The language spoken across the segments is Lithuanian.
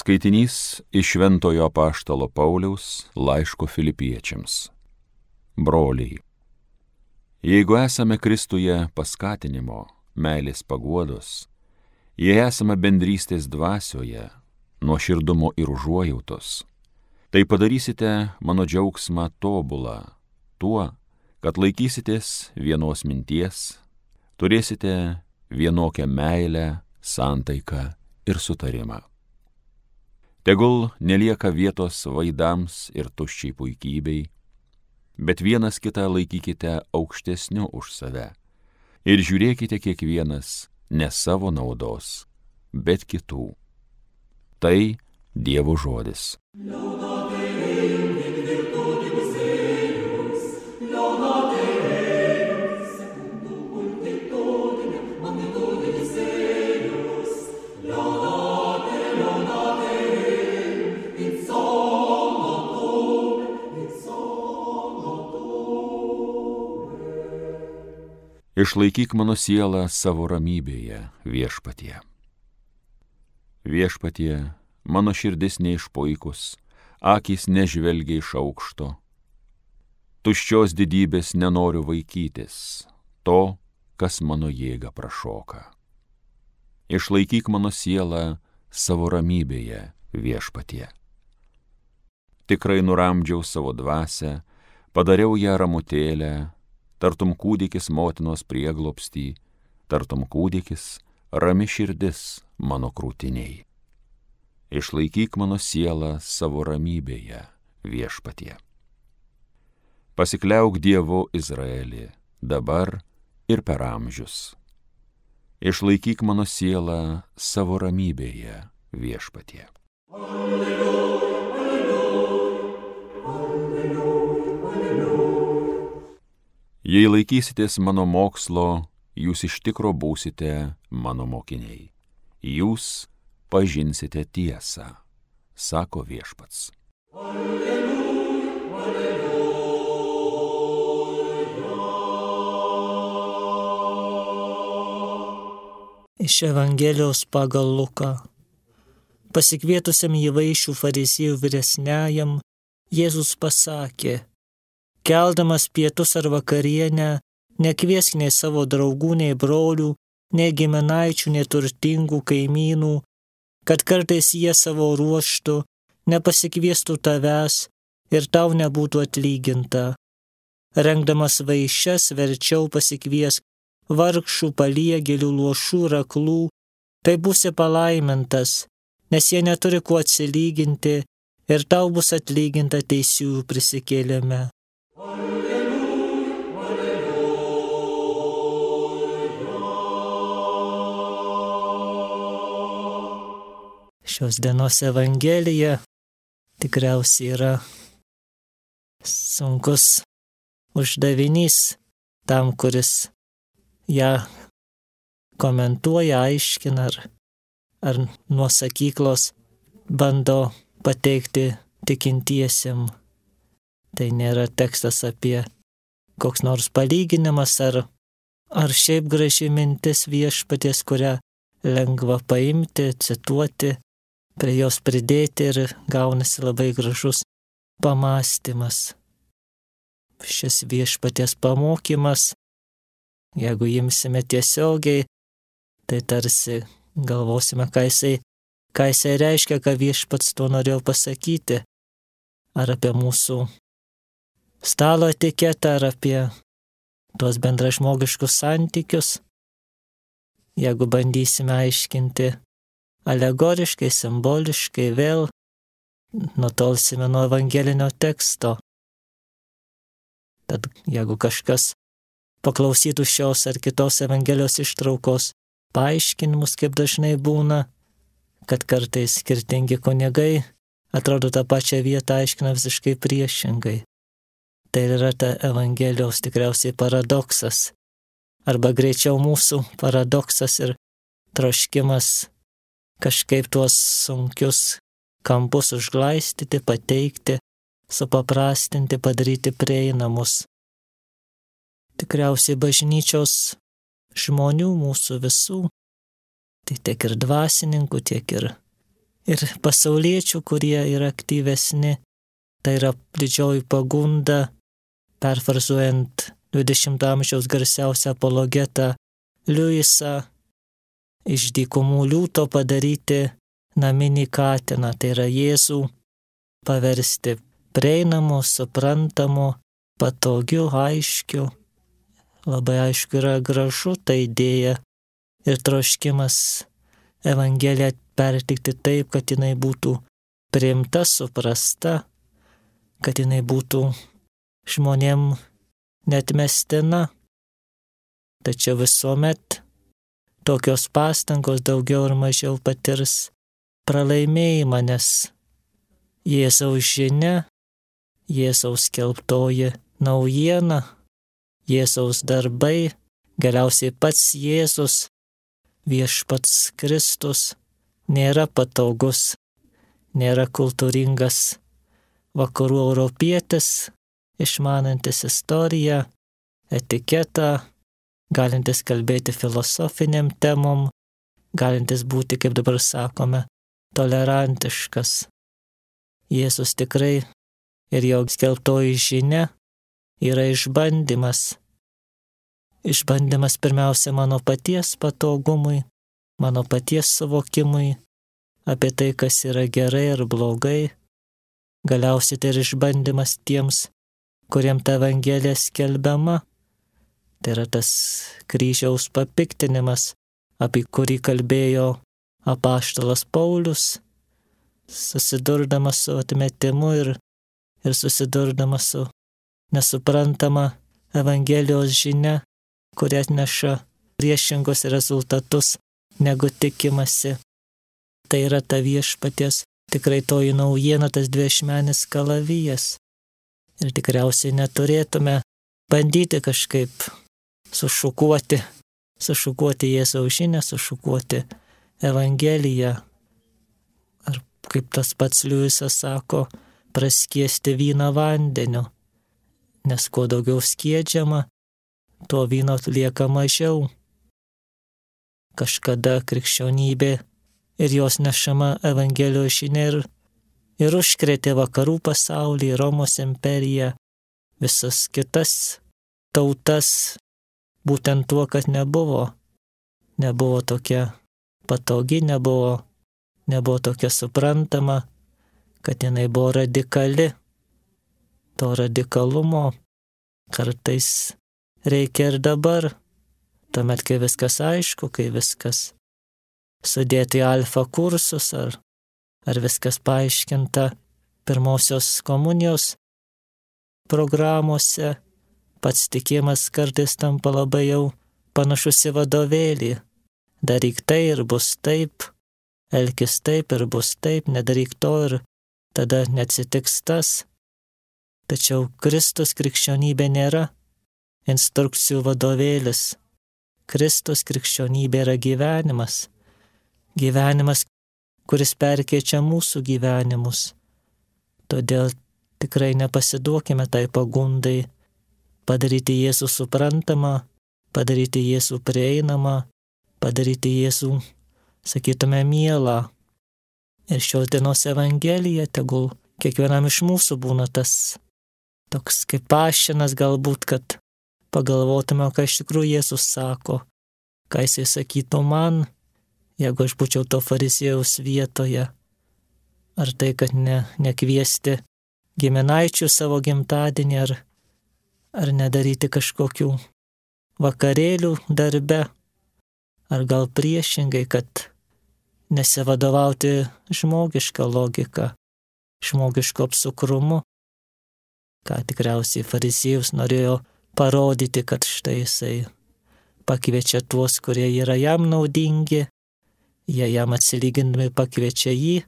Skaitinys iš Šventojo Apaštalo Pauliaus laiško Filipiečiams. Broliai, jeigu esame Kristuje paskatinimo, meilės paguodos, jei esame bendrystės dvasioje, nuoširdumo ir užuojautos, tai padarysite mano džiaugsmą tobulą tuo, kad laikysitės vienos minties, turėsite vienokią meilę, santaiką ir sutarimą. Tegul nelieka vietos vaidams ir tuščiai puikybei, bet vienas kitą laikykite aukštesniu už save ir žiūrėkite kiekvienas ne savo naudos, bet kitų. Tai Dievo žodis. Išlaikyk mano sielą savo ramybėje, Viešpatie. Viešpatie, mano širdis neišpuikus, akys nežvelgia iš aukšto. Tuščios didybės nenoriu vaikytis, to, kas mano jėgą prašoka. Išlaikyk mano sielą savo ramybėje, Viešpatie. Tikrai nuramdžiau savo dvasią, padariau ją ramutėlę, tartum kūdikis motinos prieglobstį, tartum kūdikis rami širdis mano krūtiniai. Išlaikyk mano sielą savo ramybėje, Viešpatie. Pasikliauk Dievu Izraelį, dabar ir per amžius. Išlaikyk mano sielą savo ramybėje, Viešpatie. Jei laikysitės mano mokslo, jūs iš tikro būsite mano mokiniai. Jūs pažinsite tiesą, sako Viešpats. Iš Evangelijos pagal Luką. Pasikvietusiam jį vaišių fariziejų vyresniajam, Jėzus pasakė: keldamas pietus ar vakarienę, nekviesk nei savo draugų, nei brolių, nei giminaičių, nei turtingų kaimynų, kad kartais jie savo ruožtu nepasikviestų tavęs ir tau nebūtų atlyginta. Rengdamas vaišes verčiau pasikviesk vargšų, paliegėlių, luošų ir aklų, tai būsi palaimintas, nes jie neturi kuo atsilyginti ir tau bus atlyginta teisiųjų prisikėlime. Šios dienos Evangelija tikriausiai yra sunkus uždavinys tam, kuris ją komentuoja, aiškina ar nuo sakyklos bando pateikti tikintiesiem. Tai nėra tekstas apie koks nors palyginimas ar šiaip graži mintis Viešpaties, kurią lengva paimti, cituoti, prie jos pridėti ir gaunasi labai gražus pamąstymas. Šis Viešpaties pamokymas, jeigu imsime tiesiogiai, tai tarsi galvosime, ką jisai reiškia, ką Viešpats tuo norėjo pasakyti, ar apie mūsų stalo etiketą, ar apie tuos bendražmogiškus santykius. Jeigu bandysime aiškinti alegoriškai, simboliškai, vėl nutolsime nuo evangelinio teksto. Tad jeigu kažkas paklausytų šios ar kitos Evangelijos ištraukos paaiškinimus, kaip dažnai būna, kad kartais skirtingi kunigai atrodo tą pačią vietą aiškina visiškai priešingai. Tai yra ta Evangelijos tikriausiai paradoksas, arba greičiau mūsų paradoksas ir troškimas kažkaip tuos sunkius kampus užglaistyti, pateikti, supaprastinti, padaryti prieinamus. Tikriausiai bažnyčios žmonių, mūsų visų, tai tiek ir dvasininkų, tiek ir ir pasauliečių, kurie yra aktyvesni. Tai yra didžioji pagunda, perfrazuojant 20 amžiaus garsiausią apologetą Liujisą, iš dykumų liūto padaryti naminį katiną, tai yra Jėzų paversti prieinamu, suprantamu, patogiu, aiškiu. Labai aišku yra gražu ta idėja ir troškimas Evangeliją perteikti taip, kad jinai būtų priimta, suprasta, kad jinai būtų žmonėm neatmestina. Tačiau visuomet tokios pastangos daugiau ar mažiau patirs pralaimėjimą, nes Jėzaus žinia, Jėzaus skelbtoji naujiena, Jėzaus darbai, galiausiai pats Jėzus, viešpats Kristus, nėra patogus, nėra kultūringas vakarų europietis, išmanantis istoriją, etiketą, galintis kalbėti filosofiniam temom, galintis būti, kaip dabar sakome, tolerantiškas. Jėzus tikrai ir jo skelbtoji žinia yra išbandymas. Išbandymas pirmiausia mano paties patogumui, mano paties suvokimui apie tai, kas yra gerai ar blogai. Galiausiai tai yra išbandymas tiems, kuriem ta Evangelija skelbiama. Tai yra tas kryžiaus papiktinimas, apie kurį kalbėjo apaštalas Paulius, susidurdamas su atmetimu ir susidurdamas su nesuprantama Evangelijos žinia, kuri atneša priešingus rezultatus, negu tikimasi. Tai yra ta viešpaties tikrai toji naujiena, tas dviašmenis kalavijas. Ir tikriausiai neturėtume bandyti kažkaip sušukuoti Jėzaus žinią, sušukuoti Evangeliją. Ar kaip tas pats Liujisas sako, praskiesti vyną vandeniu, nes kuo daugiau skiedžiama, tuo vyno lieka mažiau. Kažkada krikščionybė ir jos nešama Evangelijos žinia ir užkrėtė vakarų pasaulį, Romos imperiją, visas kitas tautas, būtent tuo, kad nebuvo tokia patogi, nebuvo tokia suprantama, kad jinai buvo radikali. To radikalumo kartais reikia ir dabar, tuomet, kai viskas aišku, kai viskas sudėti į alfa kursus, ar viskas paaiškinta pirmosios komunijos programuose, pats tikėjimas kartais tampa labai jau panašus į vadovėlį. Daryk tai ir bus taip, elkis taip ir bus taip, nedaryk to ir tada neatsitiks tas. Tačiau Kristus krikščionybė nėra instrukcijų vadovėlis. Kristus krikščionybė yra gyvenimas. Gyvenimas, kuris perkeičia mūsų gyvenimus. Todėl tikrai nepasiduokime tai pagundai padaryti Jėzų suprantamą, padaryti Jėzų prieinamą, padaryti Jėzų, sakytume, mielą. Ir šios dienos Evangelija tegul kiekvienam iš mūsų būna tas toks kaip pašinas galbūt, kad pagalvotume, ką iš tikrųjų Jėzus sako, ką jisai sakytų man, jeigu aš būčiau to fariziejaus vietoje. Ar tai, kad nekviesti giminaičių savo gimtadienį, ar nedaryti kažkokių vakarėlių darbe, ar gal priešingai, kad nesivadovauti žmogišką logiką, žmogiško apsukrumu, ką tikriausiai fariziejus norėjo parodyti, kad štai jisai pakviečia tuos, kurie yra jam naudingi, jie jam atsilygindami pakviečia jį,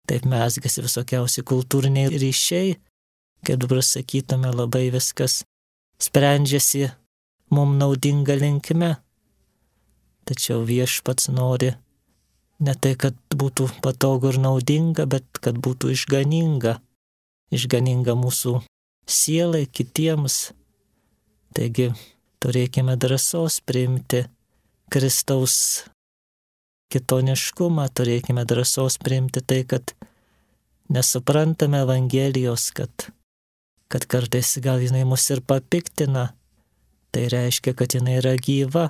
taip mezgasi visokiausi kultūriniai ryšiai, kaip dabar sakytume, labai viskas sprendžiasi mum naudinga linkme. Tačiau viešpats nori ne tai, kad būtų patogu ir naudinga, bet kad būtų išganinga mūsų sielai, kitiems. Taigi turėkime drąsos priimti Kristaus kitoniškumą, turėkime drąsos priimti tai, kad nesuprantame Evangelijos, kad kartais gal jinai mus ir papiktina, tai reiškia, kad jinai yra gyva.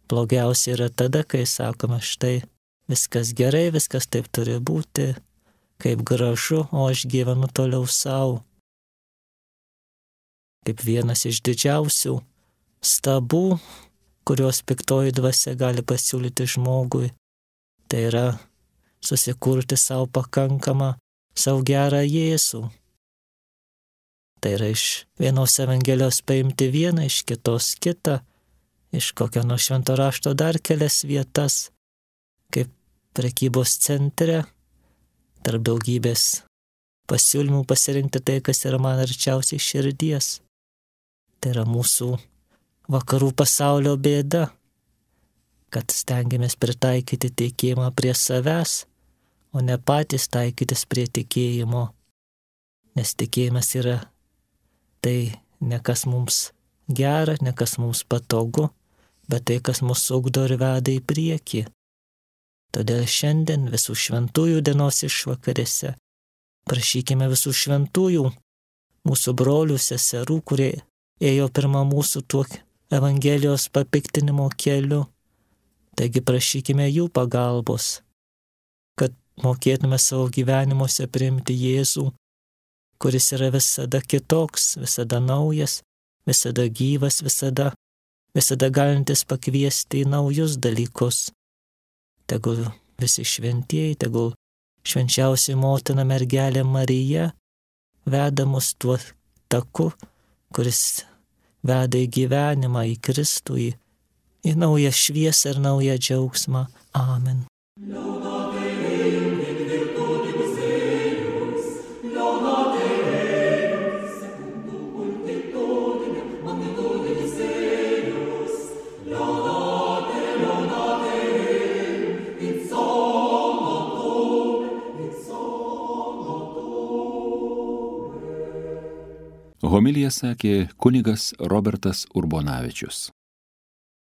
Blogiausia yra tada, kai sakome, štai viskas gerai, viskas taip turi būti, kaip gražu, o aš gyvenu toliau savo. Kaip vienas iš didžiausių stabų, kurios piktoji dvasia gali pasiūlyti žmogui, tai yra susikurti savo pakankamą, savo gerą Jėzų. Tai yra iš vienos Evangelijos paimti vieną, iš kitos kitą, iš kokio nuo švento rašto dar kelias vietas, kaip prekybos centre, tarp daugybės pasiūlymų pasirinkti tai, kas yra man arčiausiai širdies. Tai yra mūsų vakarų pasaulio bėda, kad stengiamės pritaikyti tikėjimą prie savęs, o ne patys taikytis prie tikėjimo, nes tikėjimas yra tai ne kas mums gera, ne kas mums patogu, bet tai, kas mus ugdo ir veda į priekį. Todėl šiandien visų šventųjų dienos išvakarėse prašykime visų šventųjų, mūsų brolių, seserų, kurie ėjo pirmą mūsų tuo Evangelijos papiktinimo keliu. Taigi prašykime jų pagalbos, kad mokėtume savo gyvenimuose priimti Jėzų, kuris yra visada kitoks, visada naujas, visada gyvas, visada galintis pakviesti į naujus dalykus. Tegul visi šventieji, tegul švenčiausiai motina mergelė Marija veda mus tuo taku, kuris veda į gyvenimą, į Kristų, į naują šviesą ir naują džiaugsmą. Amen. Homiliją sakė kunigas Robertas Urbonavičius.